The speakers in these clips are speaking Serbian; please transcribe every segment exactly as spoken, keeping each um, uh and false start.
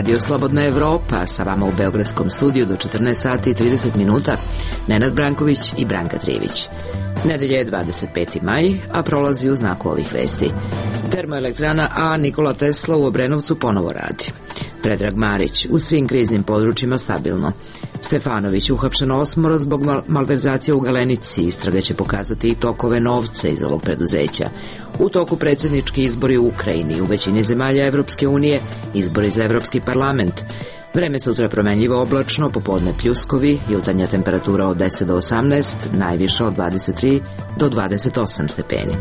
Radio Slobodna Evropa, sa vama u Beogradskom studiju do četrnaest sati i trideset minuta, Nenad Branković i Branka Trivić. Nedelja je dvadeset peti maj, a prolazi u znaku ovih vesti. Termoelektrana A Nikola Tesla u Obrenovcu ponovo radi. Predrag Marić, u svim kriznim područjima stabilno. Stefanović uhapšen osmoro zbog mal malverzacija u Galenici. Istraga će pokazati i tokove novca iz ovog preduzeća. U toku predsjednički izbori u Ukrajini, u većini zemalja Evropske unije, izbori za Evropski parlament. Vreme sutra promenljivo oblačno, popodne pljuskovi, jutarnja temperatura od deset do osamnaest, najviša od dvadeset tri do dvadeset osam stepeni.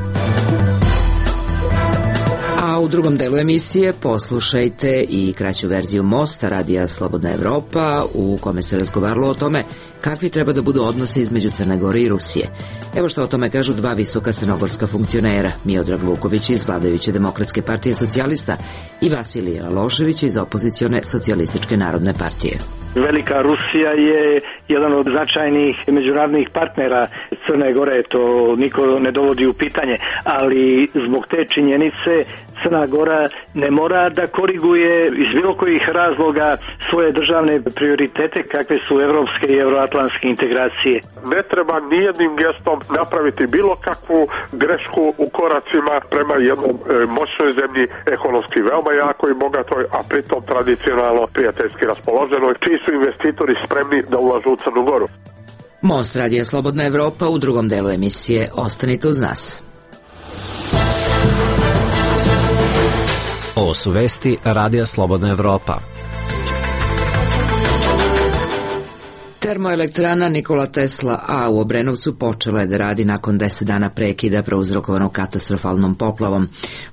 A u drugom delu emisije poslušajte i kraću verziju Mosta radija Slobodna Evropa, u kome se razgovaralo o tome kakvi treba da budu odnosi između Crne Gore i Rusije. Evo što o tome kažu dva visoka crnogorska funkcionera, Miodrag Vuković iz vladajuće Demokratske partije socijalista i Vasilij Ralošević iz opozicione Socijalističke narodne partije. Velika Rusija je jedan od značajnih međunarodnih partnera Crne Gore, to niko ne dovodi u pitanje, ali zbog te činjenice Crna Gora ne mora da koriguje iz bilo kojih razloga svoje državne prioritete kakve su evropske i euroatlantske integracije. Ne treba nijednim gestom napraviti bilo kakvu grešku u koracima prema jednom e, moćnoj zemlji, ekonomski veoma jakoj i bogatoj, a pritom tradicionalno prijateljski raspoloženoj, čiji su investitori spremni da ulažu u Crnu Goru. Most radija Slobodna Evropa u drugom delu emisije. Ostanite uz nas. Ovo su vesti Radija Slobodna Evropa. Termoelektrana Nikola Tesla A u Obrenovcu počela je da radi nakon deset dana prekida prouzrokovanog katastrofalnom poplavom.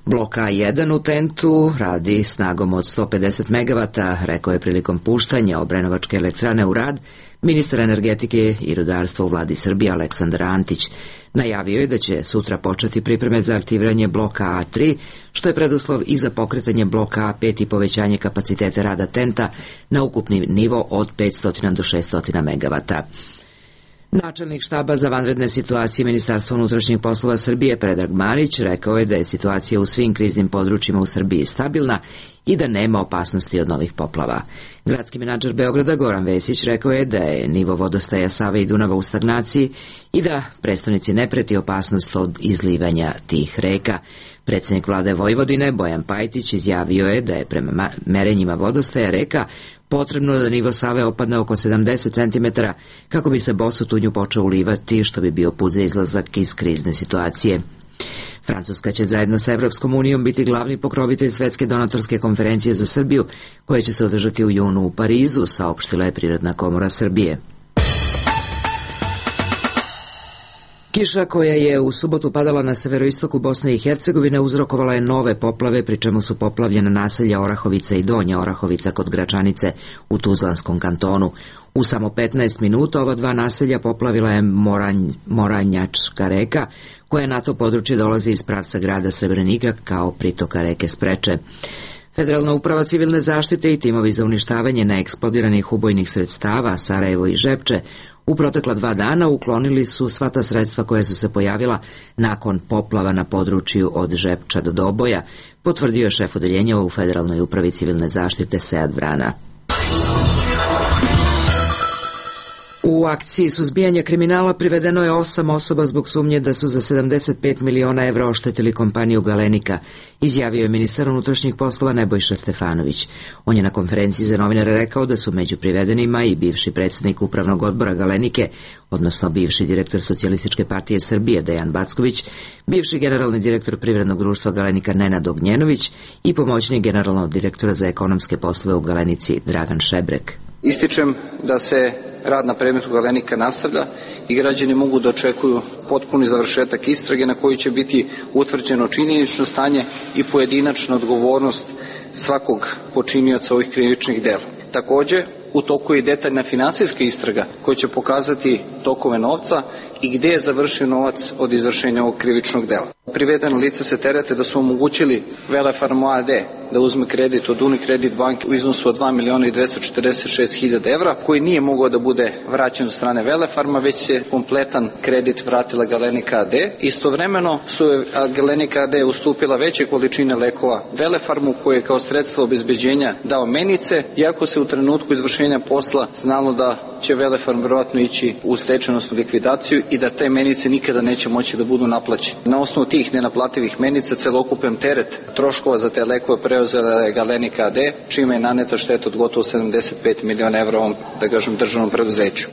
Blok A jedan u Tentu radi snagom od sto pedeset megavata, rekao je prilikom puštanja Obrenovačke elektrane u rad ministar energetike i rudarstva u vladi Srbije Aleksandar Antić. Najavio je da će sutra početi pripreme za aktiviranje bloka A tri, što je preduslov i za pokretanje bloka A pet i povećanje kapaciteta rada Tenta na ukupni nivo od petsto do šesto megavata. Načelnik štaba za vanredne situacije Ministarstva unutrašnjih poslova Srbije Predrag Marić rekao je da je situacija u svim kriznim područjima u Srbiji stabilna i da nema opasnosti od novih poplava. Gradski menadžer Beograda Goran Vesić rekao je da je nivo vodostaja Save i Dunava u stagnaciji i da prestonici ne preti opasnost od izlivanja tih reka. Predsjednik vlade Vojvodine Bojan Pajtić izjavio je da je prema merenjima vodostaja reka potrebno da nivo Save opadne oko sedamdeset centimetara kako bi se Bosu Tunju počeo ulivati, što bi bio put za izlazak iz krizne situacije. Francuska će zajedno sa Evropskom unijom biti glavni pokrovitelj Svetske donatorske konferencije za Srbiju, koja će se održati u junu u Parizu, saopštila je Privredna komora Srbije. Kiša koja je u subotu padala na severoistoku Bosne i Hercegovine uzrokovala je nove poplave, pri čemu su poplavljena naselja Orahovica i Donja Orahovica kod Gračanice u Tuzlanskom kantonu. U samo petnaest minuta ova dva naselja poplavila je Moranj, Moranjačka reka, koja na to područje dolazi iz pravca grada Srebrenika kao pritoka reke Spreče. Federalna uprava civilne zaštite i timovi za uništavanje neeksplodiranih ubojnih sredstava Sarajevo i Žepče u protekla dva dana uklonili su sva ta sredstva koja su se pojavila nakon poplava na području od Žepča do Doboja, potvrdio je šef odeljenja u Federalnoj upravi civilne zaštite Sead Vrana. U akciji suzbijanja kriminala privedeno je osam osoba zbog sumnje da su za sedamdeset pet miliona evra oštetili kompaniju Galenika, izjavio je ministar unutrašnjih poslova Nebojša Stefanović. On je na konferenciji za novinare rekao da su među privedenima i bivši predsjednik upravnog odbora Galenike, odnosno bivši direktor Socijalističke partije Srbije Dejan Backović, bivši generalni direktor privrednog društva Galenika Nenad Ognjenović i pomoćnik generalnog direktora za ekonomske poslove u Galenici Dragan Šebrek. Ističem da se rad na predmetu Galenika nastavlja i građani mogu da očekuju potpuni završetak istrage na koju će biti utvrđeno činjenično stanje i pojedinačna odgovornost svakog počinioca ovih krivičnih dela. Takođe, u toku je detaljna finansijska istraga koja će pokazati tokove novca i gde je završio novac od izvršenja ovog krivičnog dela. Privedeno lice se terete da su omogućili Velefarmu A D da uzme kredit od Unicredit banke u iznosu od dva miliona i dvesta četrdeset šest hiljada evra, koji nije mogao da bude vraćen od strane Velefarma, već se kompletan kredit vratilo naplatila Galenika a de. Istovremeno su Galenika a de ustupila veće količine lekova Velefarmu, koji je kao sredstvo obezbeđenja dao menice, iako se u trenutku izvršenja posla znalo da će Velefarm verovatno ići u stečajnosnu likvidaciju i da te menice nikada neće moći da budu naplaćene. Na osnovu tih nenaplativih menica celokupan teret troškova za te lekove preuzela je Galenika a de, čime je naneta šteta od gotovo sedamdeset pet miliona evra ovom, da kažem, državnom preduzeću.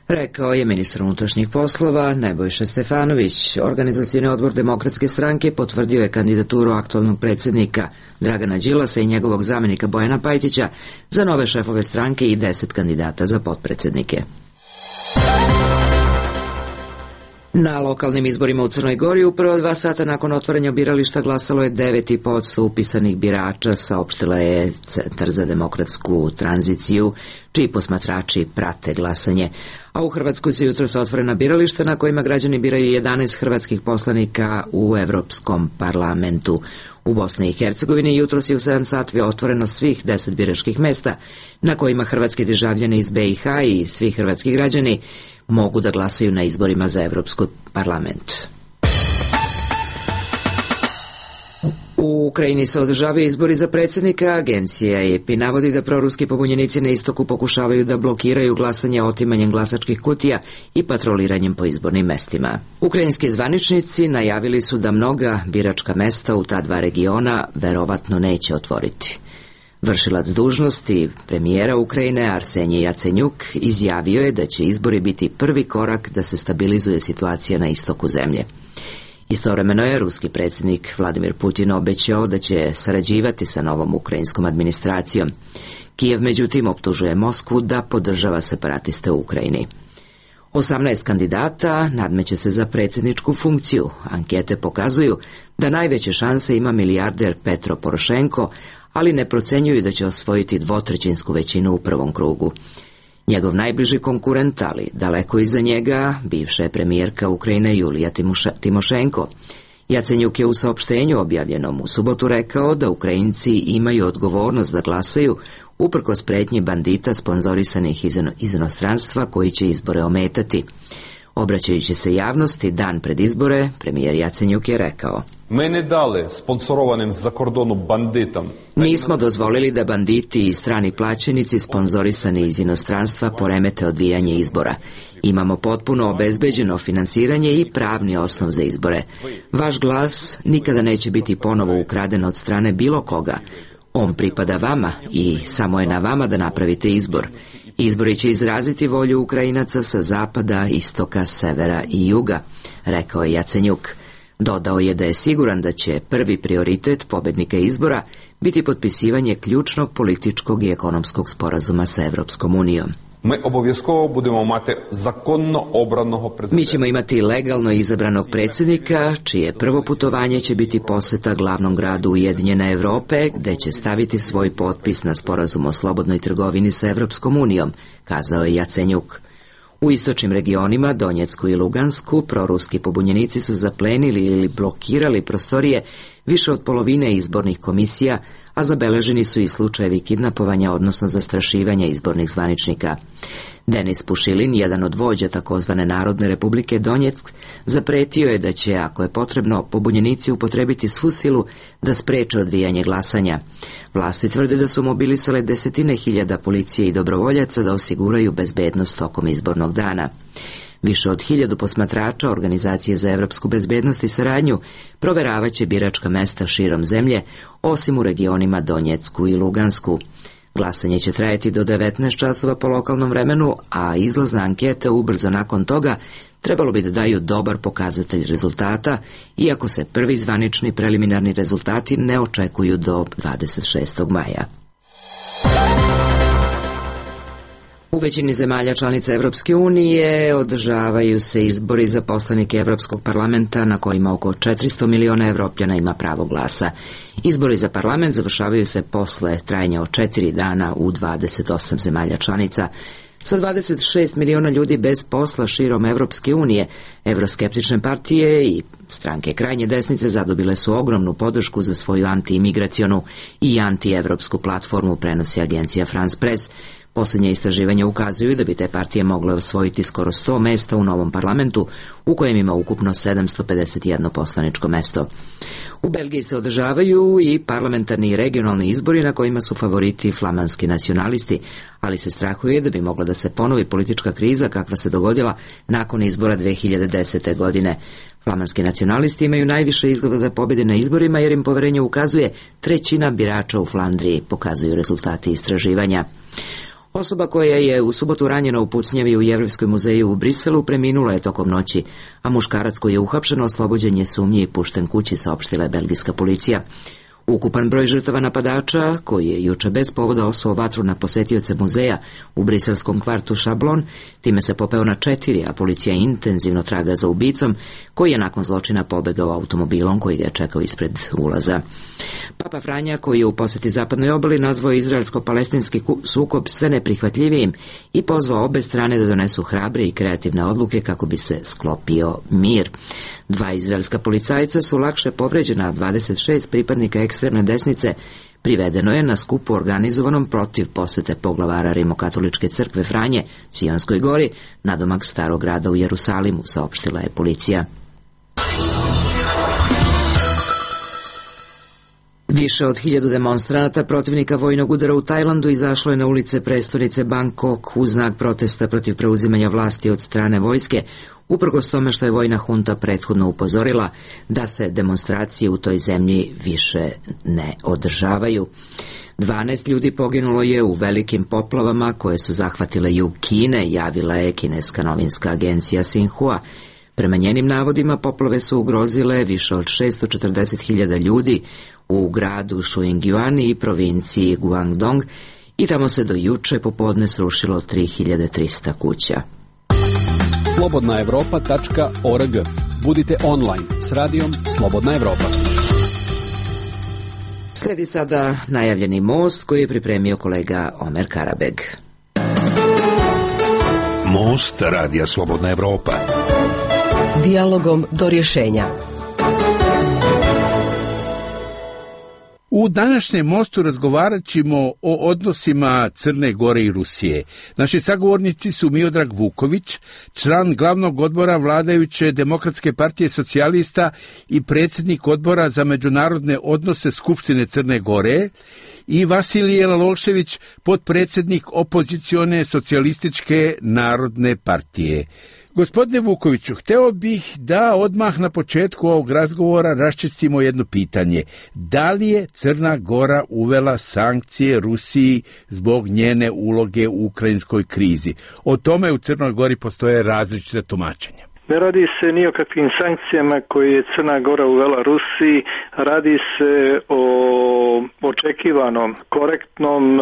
Rekao je ministar unutrašnjih poslova Nebojša Stefanović. Organizacioni odbor Demokratske stranke potvrdio je kandidaturu aktualnog predsjednika Dragana Đilasa i njegovog zamenika Bojana Pajtića za nove šefove stranke i deset kandidata za potpredsjednike. Na lokalnim izborima u Crnoj Gori u prva dva sata nakon otvaranja birališta glasalo je devet zarez pet posto upisanih birača, saopštila je Centar za demokratsku tranziciju, čiji posmatrači prate glasanje. A u Hrvatskoj se jutros otvorena birališta na kojima građani biraju jedanaest hrvatskih poslanika u Evropskom parlamentu. U Bosni i Hercegovini jutros je u sedam sati otvoreno svih deset biračkih mesta na kojima hrvatski državljani iz be i ha i svi hrvatski građani mogu da glasaju na izborima za Evropski parlament. U Ukrajini se održavaju izbori za predsjednika. Agencija E P I navodi da proruski pobunjenici na istoku pokušavaju da blokiraju glasanje otimanjem glasačkih kutija i patroliranjem po izbornim mestima. Ukrajinski zvaničnici najavili su da mnoga biračka mesta u ta dva regiona verovatno neće otvoriti. Vršilac dužnosti premijera Ukrajine Arsenij Jacenjuk izjavio je da će izbori biti prvi korak da se stabilizuje situacija na istoku zemlje. Istovremeno je ruski predsjednik Vladimir Putin obećao da će sarađivati sa novom ukrajinskom administracijom. Kijev međutim optužuje Moskvu da podržava separatiste u Ukrajini. osamnaest kandidata nadmeće se za predsjedničku funkciju. Ankete pokazuju da najveće šanse ima milijarder Petro Porošenko, ali ne procenjuju da će osvojiti dvotrećinsku većinu u prvom krugu. Njegov najbliži konkurent, ali daleko iza njega, bivša je premijerka Ukrajine Julija Timošenko. Jacenjuk je u saopštenju objavljenom u subotu rekao da Ukrajinci imaju odgovornost da glasaju uprkos pretnji bandita sponzorisanih iz inostranstva koji će izbore ometati. Obraćajući se javnosti dan pred izbore, premijer Jacenjuk je rekao: Ми не дали спонсорованим з-за кордону бандитам. Nismo dozvolili da banditi i strani plaćenici sponzorisani iz inostranstva poremete odvijanje izbora. Imamo potpuno obezbeđeno finansiranje i pravni osnov za izbore. Vaš glas nikada neće biti ponovo ukraden od strane bilo koga. On pripada vama i samo je na vama da napravite izbor. Izbori će izraziti volju Ukrajinaca sa zapada, istoka, severa i juga, rekao je Jacenjuk. Dodao je da je siguran da će prvi prioritet pobednika izbora biti potpisivanje ključnog političkog i ekonomskog sporazuma sa Evropskom unijom. Ми обов'язково будемо мати законно обраного президента. Mi ćemo imati legalno izabranog predsjednika, čije prvo putovanje će biti poseta glavnom gradu Ujedinjene Evrope, gde će staviti svoj potpis na sporazum o slobodnoj trgovini sa Evropskom unijom, kazao je Jacenjuk. U istočnim regionima, Donjecku i Lugansku, proruski pobunjenici su zaplenili ili blokirali prostorije više od polovine izbornih komisija, a zabeleženi su i slučajevi kidnapovanja, odnosno zastrašivanja izbornih zvaničnika. Denis Pušilin, jedan od vođa takozvane Narodne republike Donjeck, zapretio je da će, ako je potrebno, pobunjenici upotrebiti svu silu da spreče odvijanje glasanja. Vlasti tvrde da su mobilisale desetine hiljada policije i dobrovoljaca da osiguraju bezbednost tokom izbornog dana. Više od hiljadu posmatrača Organizacije za evropsku bezbednost i saradnju proveravaće biračka mesta širom zemlje, osim u regionima Donjecku i Lugansku. Glasanje će trajati do devetnaest časova po lokalnom vremenu, a izlazne ankete ubrzo nakon toga trebalo bi da daju dobar pokazatelj rezultata, iako se prvi zvanični preliminarni rezultati ne očekuju do dvadeset šestog maja. U većini zemalja članica Evropske unije održavaju se izbori za poslanike Evropskog parlamenta na kojima oko četiristo miliona Evropljana ima pravo glasa. Izbori za parlament završavaju se posle trajanja od četiri dana u dvadeset osam zemalja članica. Sa dvadeset šest miliona ljudi bez posla širom Evropske unije, evroskeptične partije i stranke krajnje desnice zadobile su ogromnu podršku za svoju antiimigracionu i antievropsku platformu, prenosi agencija France Press. Posljednje istraživanja ukazuju da bi te partije mogle osvojiti skoro sto mesta u novom parlamentu, u kojem ima ukupno sedamsto pedeset jedno poslaničko mesto. U Belgiji se održavaju i parlamentarni i regionalni izbori na kojima su favoriti flamanski nacionalisti, ali se strahuje da bi mogla da se ponovi politička kriza kakva se dogodila nakon izbora dve hiljade desete. godine. Flamanski nacionalisti imaju najviše izgleda da pobede na izborima jer im poverenje ukazuje trećina birača u Flandriji, pokazuju rezultati istraživanja. Osoba koja je u subotu ranjena u pucnjavi u Jevrejskom muzeju u Briselu preminula je tokom noći, a muškarac koji je uhapšen oslobođen je sumnje i pušten kući, saopštila je belgijska policija. Ukupan broj žrtava napadača, koji je juče bez povoda osuo vatru na posetioce muzeja u briselskom kvartu Šablon, time se popeo na četiri, a policija intenzivno traga za ubicom, koji je nakon zločina pobegao automobilom koji ga je čekao ispred ulaza. Papa Franja, koji je u poseti zapadnoj obali, nazvao izraelsko-palestinski sukob sve neprihvatljivijim i pozvao obe strane da donesu hrabre i kreativne odluke kako bi se sklopio mir. Dva izraelska policajca su lakše povređena, a dvadeset šest pripadnika ekstremne desnice privedeno je na skupu organizovanom protiv posete poglavara Rimokatoličke crkve Franje, Cionskoj gori, nadomak starog grada u Jerusalimu, saopštila je policija. Više od hiljadu demonstranata protivnika vojnog udara u Tajlandu izašlo je na ulice prestonice Bangkok u znak protesta protiv preuzimanja vlasti od strane vojske, uprkos tome što je vojna hunta prethodno upozorila da se demonstracije u toj zemlji više ne održavaju. dvanaest ljudi poginulo je u velikim poplavama koje su zahvatile jug Kine, javila je kineska novinska agencija Xinhua. Prema njenim navodima, poplave su ugrozile više od šesto četrdeset hiljada ljudi u gradu Shuingyuan i provinciji Guangdong i tamo se do juče popodne srušilo tri hiljade trista kuća. slobodna evropa tačka org. Budite online s radijom Slobodna Evropa. Sledi sada najavljeni most koji je pripremio kolega Omer Karabeg. Most radija Slobodna Evropa. Dijalogom do rješenja. U današnjem mostu razgovarat ćemo o odnosima Crne Gore i Rusije. Naši sagovornici su Miodrag Vuković, član glavnog odbora vladajuće Demokratske partije socijalista i predsjednik odbora za međunarodne odnose Skupštine Crne Gore, i Vasilije Lalošević, potpredsjednik opozicione socijalističke narodne partije. Gospodine Vukoviću, hteo bih da odmah na početku ovog razgovora raščistimo jedno pitanje. Da li je Crna Gora uvela sankcije Rusiji zbog njene uloge u ukrajinskoj krizi? O tome u Crnoj Gori postoje različite tumačenja. Ne radi se ni o kakvim sankcijama koje je Crna Gora uvela Rusiji, radi se o očekivanom, korektnom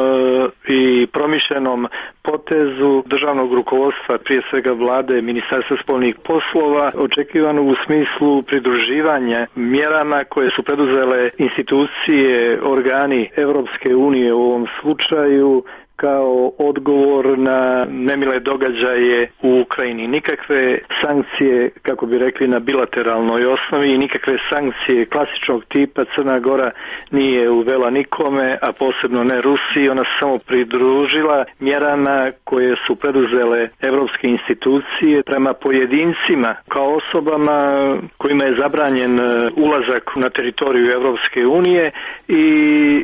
i promišljenom potezu državnog rukovodstva, prije svega vlade, Ministarstva spoljnih poslova, očekivano u smislu pridruživanja mjerama koje su preduzele institucije, organi Evropske unije u ovom slučaju, kao odgovor na nemile događaje u Ukrajini. Nikakve sankcije, kako bi rekli, na bilateralnoj osnovi i nikakve sankcije klasičnog tipa Crna Gora nije uvela nikome, a posebno ne Rusiji. Ona se samo pridružila mjerama koje su preduzele evropske institucije prema pojedincima kao osobama kojima je zabranjen ulazak na teritoriju Evropske unije i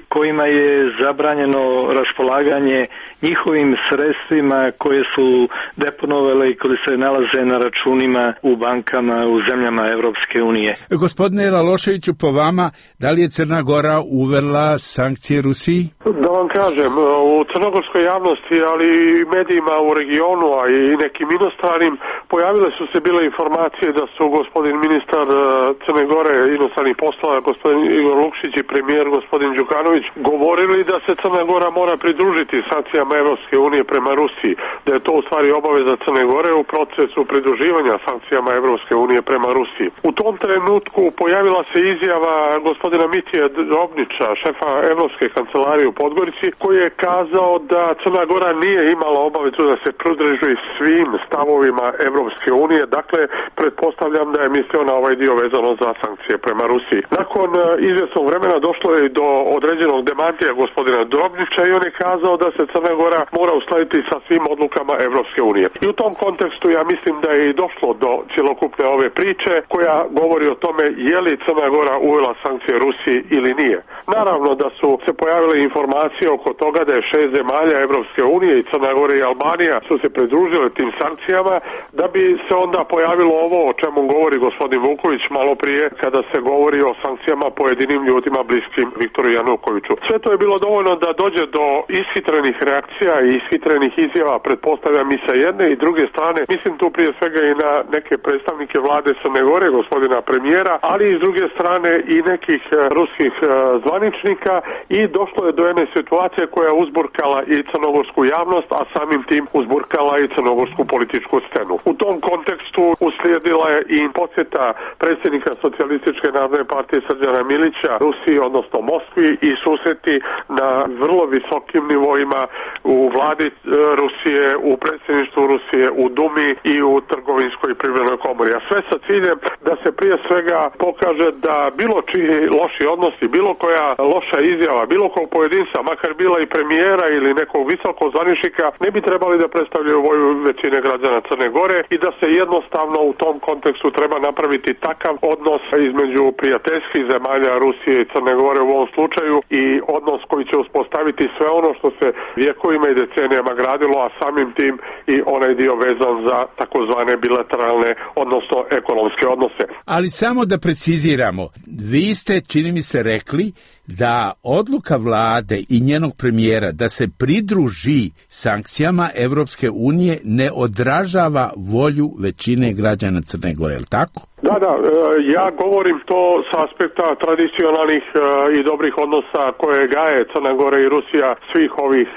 kojima je zabranjeno raspolaganje njihovim sredstvima koje su deponovale i koje se nalaze na računima u bankama u zemljama Evropske unije. Gospodine Laloševiću, po vama, da li je Crna Gora uvela sankcije Rusiji? Da vam kažem, u crnogorskoj javnosti, ali i medijima u regionu, a i nekim inostranim, pojavile su se bile informacije da su gospodin ministar Crne Gore inostranih poslova, gospodin Igor Lukšić i premijer gospodin Đukanović govorili da se Crna Gora mora pridružiti sankcijama Evropske unije prema Rusiji, da je to u stvari obaveza Crne Gore u procesu pridruživanja sankcijama Evropske unije prema Rusiji. U tom trenutku pojavila se izjava gospodina Mitije Drobnića, šefa Evropske kancelarije u Podgorici, koji je kazao da Crna Gora nije imala obavezu da se pridruži svim stavovima Evropske unije. Dakle, pretpostavljam da je mislio na ovaj dio vezano za sankcije prema Rusiji. Nakon izvjesnog vremena došlo je do određenog demantija gospodina Drobnića i on je kazao da se Crna Gora mora uskladiti sa svim odlukama Evropske unije. I u tom kontekstu ja mislim da je i došlo do cjelokupne ove priče koja govori o tome je li Crna Gora uvela sankcije Rusiji ili nije. Naravno da su se pojavile informacije oko toga da je šest zemalja Evropske unije i Crna Gora i Albanija su se pridružile tim sankcijama, da bi se onda pojavilo ovo o čemu govori gospodin Vuković malo prije kada se govori o sankcijama pojedinim ljudima bliskim Viktoru Janukoviću. Sve to je bilo dovoljno da dođe do ishitrenih reakcija i ishitrenih izjava, pretpostavljam i sa jedne i druge strane, mislim tu prije svega i na neke predstavnike vlade Crne Gore, gospodina premijera, ali i s druge strane i nekih ruskih zvaničnika i došlo je do jedne situacije koja je uzburkala i crnogorsku javnost, a samim tim uzburkala i crnogorsku političku scenu. U tom kontekstu uslijedila je i posjeta predsjednika Socijalističke narodne partije Srđana Milića Rusiji, odnosno Moskvi, i susreti na vrlo visokim nivoima u vladi Rusije, u predsjedništvu Rusije, u Dumi i u trgovinskoj i privrednoj komori. A sve sa ciljem da se prije svega pokaže da bilo čiji loši odnosi, bilo koja loša izjava, bilo kog pojedinca, makar bila i premijera ili nekog visokog zvaničnika, ne bi trebali da predstavljaju volju većine građana Crne Gore i da se jednostavno u tom kontekstu treba napraviti takav odnos između prijateljskih zemalja Rusije i Crne Gore u ovom slučaju i odnos koji će uspostaviti sve ono što se vjekovima i decenijama gradilo, a samim tim i onaj dio vezan za takozvane bilateralne, odnosno ekonomske odnose. Ali samo da preciziramo, vi ste, čini mi se, rekli da odluka vlade i njenog premijera da se pridruži sankcijama Evropske unije ne odražava volju većine građana Crne Gore, je li tako? Da, da, ja govorim to sa aspekta tradicionalnih i dobrih odnosa koje gaje Crna Gora i Rusija svih ovih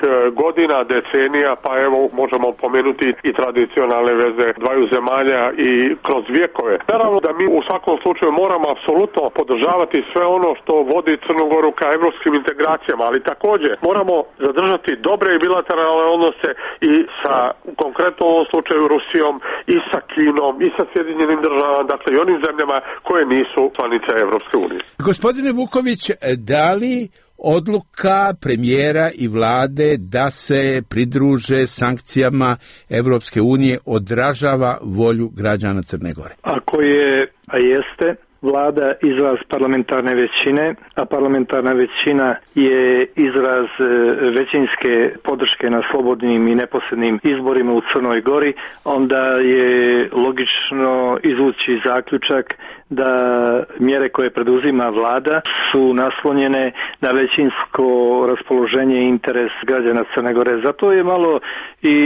godina, decenija, pa evo možemo pomenuti i tradicionalne veze dvaju zemalja i kroz vjekove. Naravno da mi u svakom slučaju moramo apsolutno podržavati sve ono što vodi Crnu Goru ka evropskim integracijama, ali također moramo zadržati dobre i bilateralne odnose i sa, konkretno u ovom slučaju, Rusijom i sa Kinom i sa Sjedinjenim državama, dakle i onim zemljama koje nisu članice Evropske unije. Gospodine Vuković, da li odluka premijera i vlade da se pridruže sankcijama Evropske unije odražava volju građana Crne Gore? Ako je, a jeste, vlada izraz parlamentarne većine, a parlamentarna većina je izraz većinske podrške na slobodnim i neposrednim izborima u Crnoj Gori, onda je logično izvući zaključak da mjere koje preduzima vlada su naslonjene na većinsko raspoloženje i interes građana Crne Gore. Zato je malo i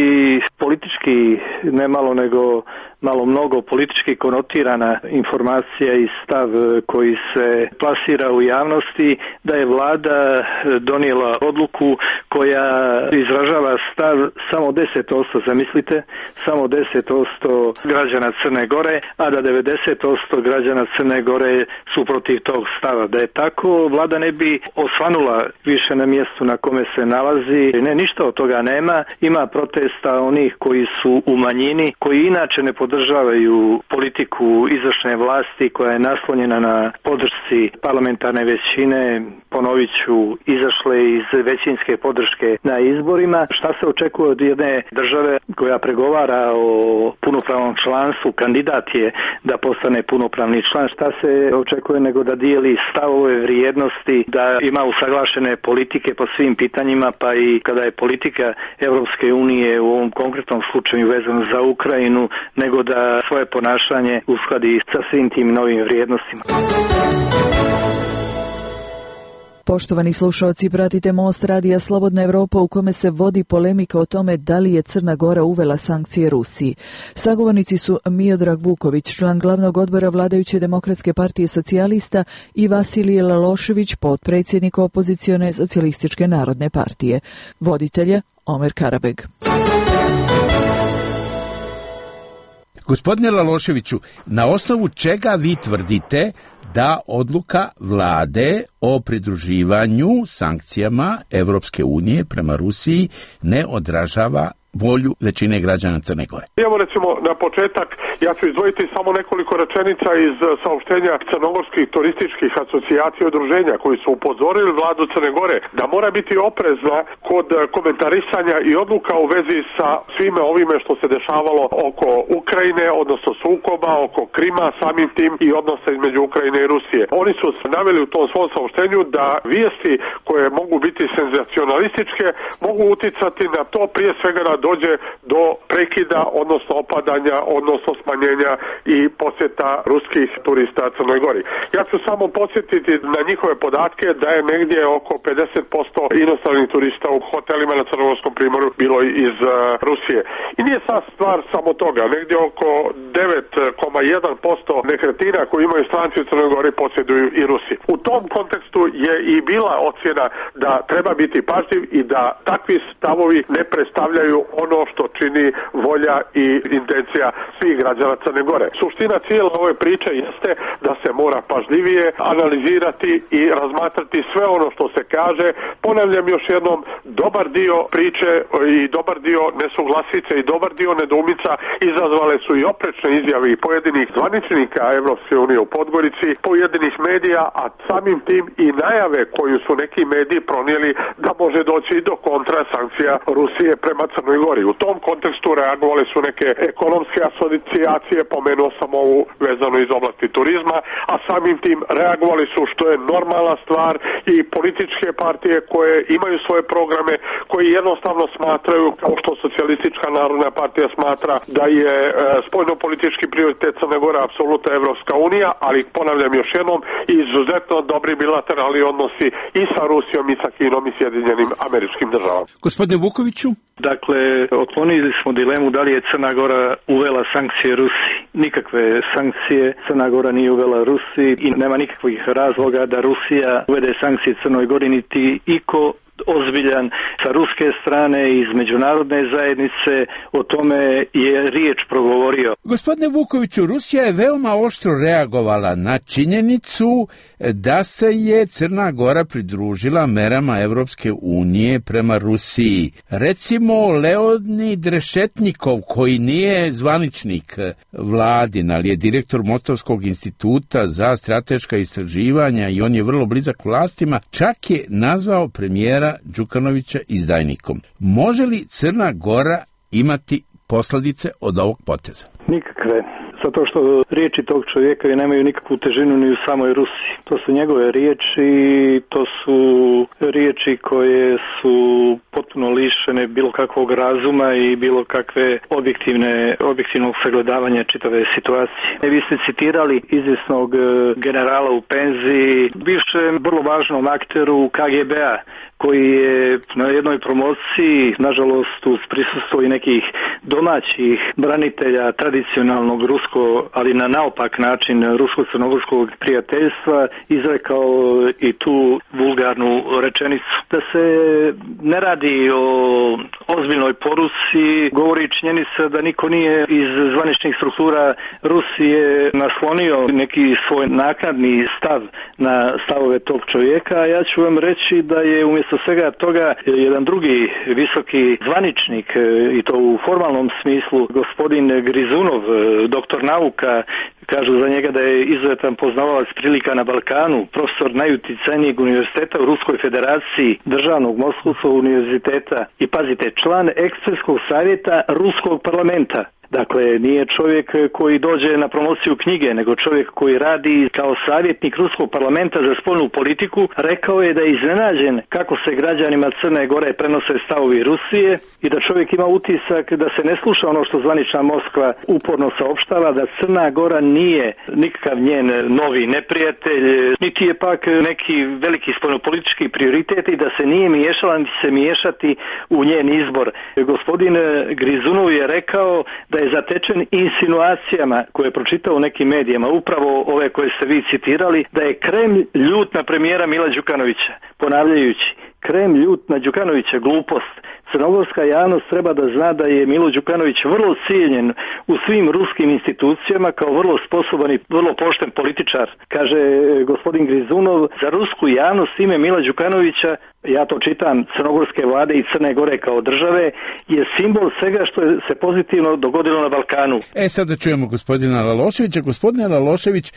politički, ne malo nego malo mnogo politički konotirana informacija i stav koji se plasira u javnosti da je vlada donijela odluku koja izražava stav samo deset posto, zamislite, samo deset posto građana Crne Gore, a da devedeset posto građana Crne Gore su protiv tog stava. Da je tako, vlada ne bi osvanula više na mjestu na kome se nalazi. Ne, ništa od toga nema. Ima protesta onih koji su u manjini, koji inače ne podržavaju politiku izvršne vlasti koja je naslonjena na podršci parlamentarne većine, ponovit ću, izašle iz većinske podrške na izborima. Šta se očekuje od jedne države koja pregovara o punopravnom članstvu, kandidat je da postane punopravni član, šta se očekuje nego da dijeli stavove, vrijednosti, da ima usaglašene politike po svim pitanjima, pa i kada je politika Evropske unije u ovom konkretnom slučaju vezano za Ukrajinu, nego da svoje ponašanje uskladi sa svim tim novim vrijednostima. Poštovani slušalci, pratite Most radija Slobodna Evropa u kome se vodi polemika o tome da li je Crna Gora uvela sankcije Rusiji. Sagovornici su Miodrag Vuković, član glavnog odbora vladajuće Demokratske partije socijalista, i Vasilije Lalošević, potpredsjednik opozicione Socijalističke narodne partije. Voditelje Omer Karabeg. Gospodine Laloševiću, na osnovu čega vi tvrdite da odluka vlade o pridruživanju sankcijama Evropske unije prema Rusiji ne odražava volju većine građana Crne Gore? Evo recimo na početak, ja ću izdvojiti samo nekoliko rečenica iz saopštenja crnogorskih turističkih asocijacija i udruženja koji su upozorili vladu Crne Gore da mora biti oprezna kod komentarisanja i odluka u vezi sa svime ovime što se dešavalo oko Ukrajine, odnosno sukoba, oko Krima, samim tim i odnosa između Ukrajine i Rusije. Oni su naveli u tom svom saopštenju da vijesti koje mogu biti senzacionalističke mogu uticati na to prije svega da dođe do prekida, odnosno opadanja, odnosno smanjenja i posjeta ruskih turista Crnoj Gori. Ja ću samo podsjetiti na njihove podatke da je negdje oko pedeset posto inostranih turista u hotelima na Crnogorskom primorju bilo iz uh, Rusije. I nije sad stvar samo toga, negdje oko devet zarez jedan posto nekretnina koje imaju stranci u Crnoj Gori posjeduju i Rusi. U tom kontekstu je i bila ocjena da treba biti pažljiv i da takvi stavovi ne predstavljaju ono što čini volja i intencija svih građana Crne Gore. Suština cijele ove priče jeste da se mora pažljivije analizirati i razmatrati sve ono što se kaže. Ponavljam još jednom, dobar dio priče i dobar dio nesuglasice i dobar dio nedoumica izazvale su i oprečne izjave i pojedinih zvaničnika Evropske unije u Podgorici, pojedinih medija, a samim tim i najave koju su neki mediji pronijeli da može doći do kontra sankcija Rusije prema Crnoj Gori. U tom kontekstu reagovali su neke ekonomske asocijacije, pomenuo sam ovu vezano iz oblasti turizma, a samim tim reagovali su, što je normalna stvar, i političke partije koje imaju svoje programe, koji jednostavno smatraju, kao što Socijalistička narodna partija smatra, da je e, spoljnopolitički prioritet Crne Gore apsolutno Evropska unija, ali ponavljam još jednom, izuzetno dobri bilateralni odnosi i sa Rusijom i sa Kinom i Sjedinjenim Američkim Državama. Gospodine Vukoviću? Dakle, otklonili smo dilemu da li je Crna Gora uvela sankcije Rusiji. Nikakve sankcije Crna Gora nije uvela Rusiji i nema nikakvih razloga da Rusija uvede sankcije Crnoj Gori, niti iko ozbiljan sa ruske strane iz međunarodne zajednice o tome je riječ progovorio. Gospodine Vukoviću, Rusija je veoma oštro reagovala na činjenicu da se je Crna Gora pridružila merama Evropske unije prema Rusiji. Recimo, Leonid Rešetnikov, koji nije zvaničnik vladin, ali je direktor Mostovskog instituta za strateška istraživanja i on je vrlo blizak vlastima, čak je nazvao premijera Đukanovića izdajnikom. Može li Crna Gora imati posljedice od ovog poteza? Nikakve. Zato što riječi tog čovjeka nemaju nikakvu težinu ni u samoj Rusiji. To su njegove riječi, to su riječi koje su potpuno lišene bilo kakvog razuma i bilo kakve objektivne, objektivnog sagledavanja čitave situacije. Vi ste citirali izvjesnog generala u penziji, bivšem vrlo važnom akteru K G B-a, koji je na jednoj promociji, nažalost uz prisustvo i nekih domaćih branitelja tradicionalnog rusko, ali na naopak način rusko-crnogorskog prijateljstva, izrekao i tu vulgarnu rečenicu. Da se ne radi o ozbiljnoj poruci, govori činjenica da niko nije iz zvaničnih struktura Rusije naslonio neki svoj naknadni stav na stavove tog čovjeka. Ja ću vam reći da je umjesto svega toga jedan drugi visoki zvaničnik, i to u formalnom smislu, gospodin Grizunov, doktor nauka, kažu za njega da je izuzetan poznavalac prilika na Balkanu, profesor najuticajnijeg univerziteta u Ruskoj federaciji, državnog Moskovskog univerziteta i, pazite, član ekspertskog savjeta Ruskog parlamenta. Dakle, nije čovjek koji dođe na promociju knjige, nego čovjek koji radi kao savjetnik Ruskog parlamenta za spoljnu politiku. Rekao je da je iznenađen kako se građanima Crne Gore prenose stavovi Rusije i da čovjek ima utisak da se ne sluša ono što zvanična Moskva uporno saopštava, da Crna Gora nije nikakav njen novi neprijatelj, niti je pak neki veliki spoljnopolitički prioritet i da se nije miješala, niti se miješati u njen izbor. Gospodin Grizunov je rekao da je zatečen insinuacijama koje je pročitao u nekim medijima, upravo ove koje ste vi citirali, da je Kremlj ljut na premijera Mila Đukanovića, ponavljajući, Kremlj ljut na Đukanovića, glupost. Crnogorska javnost treba da zna da je Milo Đukanović vrlo cijenjen u svim ruskim institucijama kao vrlo sposoban i vrlo pošten političar. Kaže gospodin Grizunov, za rusku javnost ime Mila Đukanovića, ja to čitam, crnogorske vlade i Crne Gore kao države, je simbol svega što je se pozitivno dogodilo na Balkanu. E sad da čujemo gospodina Laloševića. Gospodine Lalošević,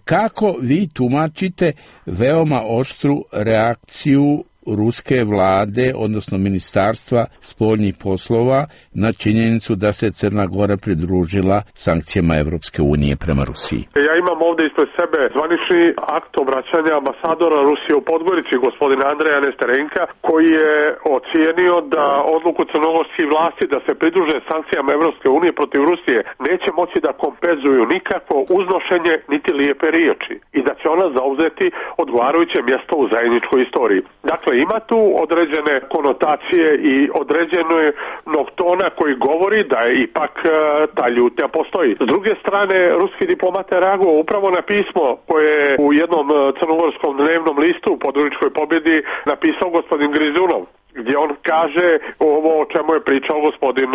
kako vi tumačite veoma oštru reakciju ruske vlade, odnosno ministarstva spoljnih poslova, na činjenicu da se Crna Gora pridružila sankcijama Evropske unije prema Rusiji? Ja imam ovdje ispred sebe zvanični akt obraćanja ambasadora Rusije u Podgorici, gospodina Andreja Nesterenka, koji je ocijenio da odluku crnogorskih vlasti da se pridruže sankcijama Evropske unije protiv Rusije neće moći da kompenzuju nikako uznošenje niti lijepe riječi i da će ona zauzeti odgovarajuće mjesto u zajedničkoj istoriji. Dakle, ima tu određene konotacije i određenog tona koji govori da je ipak e, ta ljutnja postoji. S druge strane, ruski diplomat je reagovao upravo na pismo koje je u jednom crnogorskom dnevnom listu u Podgoričkoj pobjedi napisao gospodin Grizunov, gdje on kaže ovo o čemu je pričao gospodin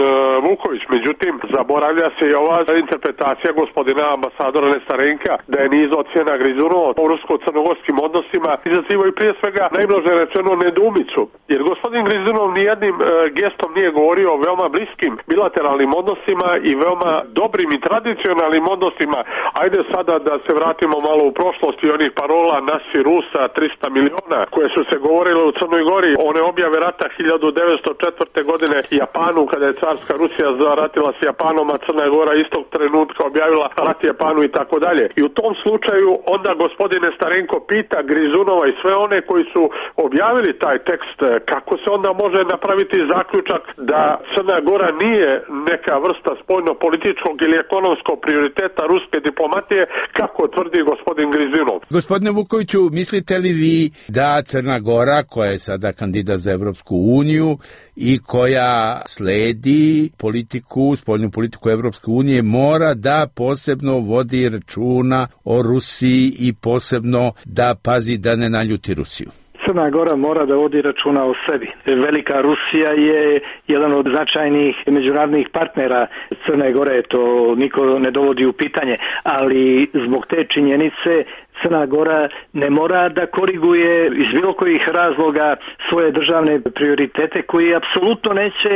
Vuković. Međutim, zaboravlja se i ova interpretacija gospodina ambasadora Nestarenka da je niz ocjena Grizunova u rusko-crnogorskim odnosima izazivaju prije svega najmnože rečeno nedoumicu. Jer gospodin Grizunov nijednim gestom nije govorio o veoma bliskim bilateralnim odnosima i veoma dobrim i tradicionalnim odnosima. Ajde sada da se vratimo malo u prošlost i onih parola nasi Rusa trista miliona koje su se govorile u Crnoj Gori, one objave rata hiljadu devetsto četvrte. godine Japanu, kada je carska Rusija zaratila s Japanom, a Crna Gora istog trenutka objavila rat Japanu i tako dalje. I u tom slučaju onda gospodine Starenko pita Grizunova i sve one koji su objavili taj tekst, kako se onda može napraviti zaključak da Crna Gora nije neka vrsta spoljno-političkog ili ekonomskog prioriteta ruske diplomatije, kako tvrdi gospodin Grizunov. Gospodine Vukoviću, mislite li vi da Crna Gora, koja je sada kandidat za Evropsku uniju i koja sledi politiku, spoljnu politiku Evropske unije, mora da posebno vodi računa o Rusiji i posebno da pazi da ne naljuti Rusiju? Crna Gora mora da vodi računa o sebi. Velika Rusija je jedan od značajnih međunarodnih partnera Crne Gore, to niko ne dovodi u pitanje, ali zbog te činjenice Crna Gora ne mora da koriguje iz bilo kojih razloga svoje državne prioritete koji apsolutno neće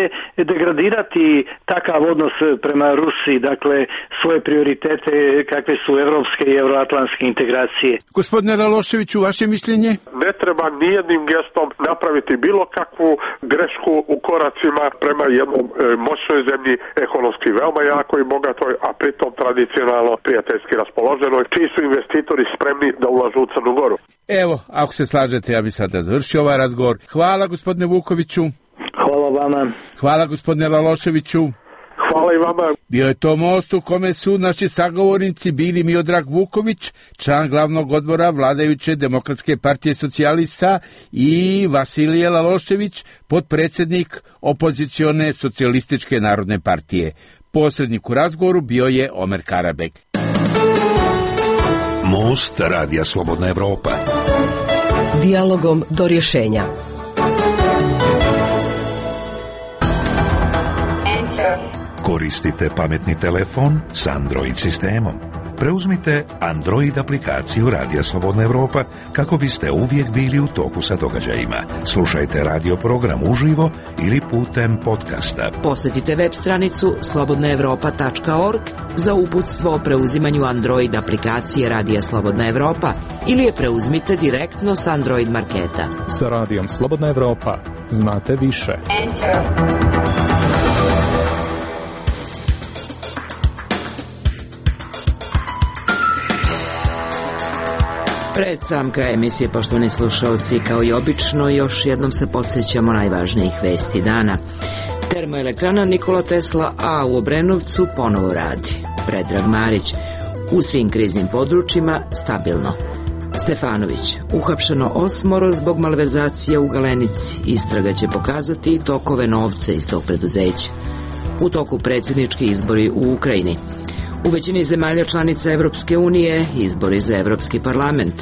degradirati takav odnos prema Rusiji, dakle svoje prioritete kakve su evropske i euroatlantske integracije. Gospodine Laloševiću, vaše mišljenje? Ne treba nijednim gestom napraviti bilo kakvu grešku u koracima prema jednom e, moćnoj zemlji, ekonomski veoma jako i bogatoj, a pritom tradicionalno prijateljski raspoloženoj, čiji su investitori spremni da ulažu u Crnu Goru. Evo, ako se slažete, ja bih sada završio ovaj razgovor. Hvala gospodine Vukoviću. Hvala vama. Hvala gospodine Laloševiću. Hvala i vama. Bio je to most u kome su naši sagovornici bili Miodrag Vuković, član glavnog odbora vladajuće Demokratske partije socijalista, i Vasilije Lalošević, potpredsjednik opozicione Socijalističke narodne partije. Posrednik u razgovoru bio je Omer Karabek. Most Radija Slobodna Evropa. Dijalogom do rješenja. Koristite pametni telefon s Android sistemom. Preuzmite Android aplikaciju Radija Slobodna Evropa kako biste uvijek bili u toku sa događajima. Slušajte radio program uživo ili putem podcasta. Posjetite web stranicu slobodna evropa tačka org za uputstvo o preuzimanju Android aplikacije Radija Slobodna Evropa ili je preuzmite direktno s Android marketa. Sa Radijom Slobodna Evropa znate više. Enter. Pred sam kraj emisije, poštovani slušalci, kao i obično, još jednom se podsjećamo najvažnijih vesti dana. Termoelektrana Nikola Tesla A u Obrenovcu ponovo radi. Predrag Marić, u svim kriznim područjima stabilno. Stefanović, uhapšeno osmoro zbog malverzacija u Galenici. Istraga će pokazati i tokove novca iz tog preduzeća. U toku predsjednički izbori u Ukrajini. U većini zemalja članica Evropske unije izbori za Evropski parlament.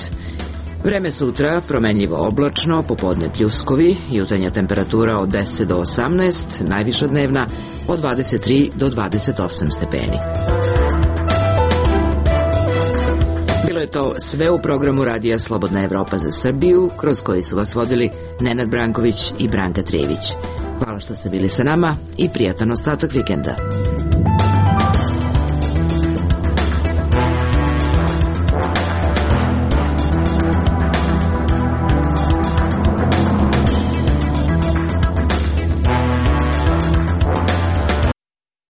Vreme sutra promenljivo oblačno, popodne pljuskovi, jutarnja temperatura od deset do osamnaest, najviša dnevna od dvadeset tri do dvadeset osam stepeni. Bilo je to sve u programu Radija Slobodna Evropa za Srbiju, kroz koji su vas vodili Nenad Branković i Branka Trević. Hvala što ste bili sa nama i prijatan ostatak vikenda.